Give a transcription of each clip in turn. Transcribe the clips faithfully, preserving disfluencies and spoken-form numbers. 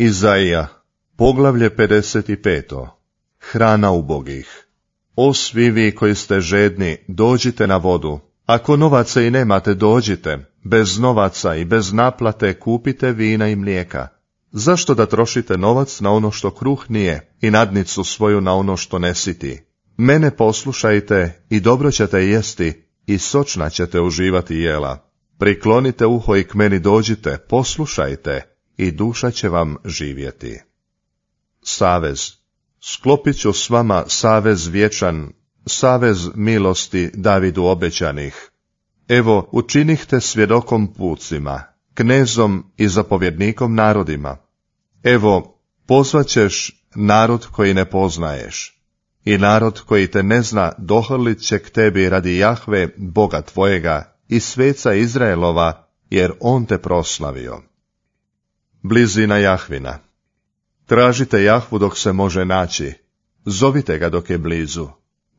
Izaija, poglavlje pedeset pet. Hrana ubogih. O svi vi koji ste žedni, dođite na vodu. Ako novaca i nemate, dođite. Bez novaca i bez naplate kupite vina i mlijeka. Zašto da trošite novac na ono što kruh nije i nadnicu svoju na ono što ne siti? Mene poslušajte i dobro ćete jesti i sočna ćete uživati jela. Priklonite uho i k meni dođite, poslušajte i duša će vam živjeti. Savez. Sklopit ću s vama savez vječan, savez milosti Davidu obećanih. Evo, učinihte svjedokom pucima, knezom i zapovjednikom narodima. Evo, pozvaćeš narod koji ne poznaješ, i narod koji te ne zna dohrlit će k tebi radi Jahve, Boga tvojega, i sveca Izraelova, jer on te proslavio. Blizina Jahvina. Tražite Jahvu dok se može naći, zovite ga dok je blizu.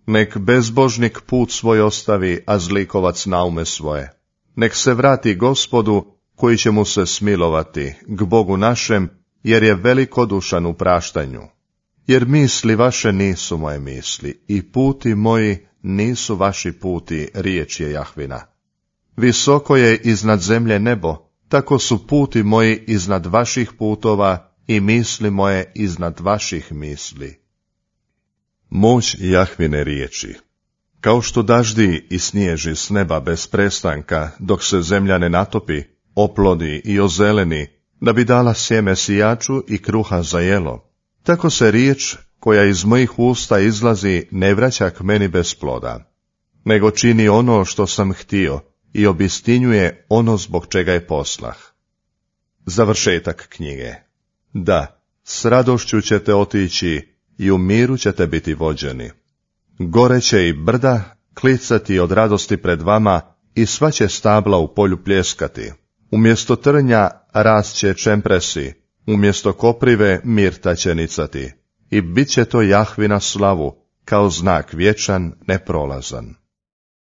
Nek bezbožnik put svoj ostavi, a zlikovac naume svoje. Nek se vrati Gospodu, koji će mu se smilovati, k Bogu našem, jer je velikodušan u praštanju. Jer misli vaše nisu moje misli, i puti moji nisu vaši puti, riječ je Jahvina. Visoko je iznad zemlje nebo, tako su puti moji iznad vaših putova, i misli moje iznad vaših misli. Moć Jahvine riječi. Kao što daždi i snježi s neba bez prestanka, dok se zemlja ne natopi, oplodi i ozeleni, da bi dala sjeme sijaču i kruha za jelo, tako se riječ koja iz mojih usta izlazi ne vraća k meni bez ploda, nego čini ono što sam htio i obistinjuje ono zbog čega je poslah. Završetak knjige. Da, s radošću ćete otići i u miru ćete biti vođeni. Gore će i brda klicati od radosti pred vama i sva će stabla u polju pljeskati. Umjesto trnja rast će čempresi, umjesto koprive mirta će nicati. I bit će to Jahvina slavu, kao znak vječan, neprolazan.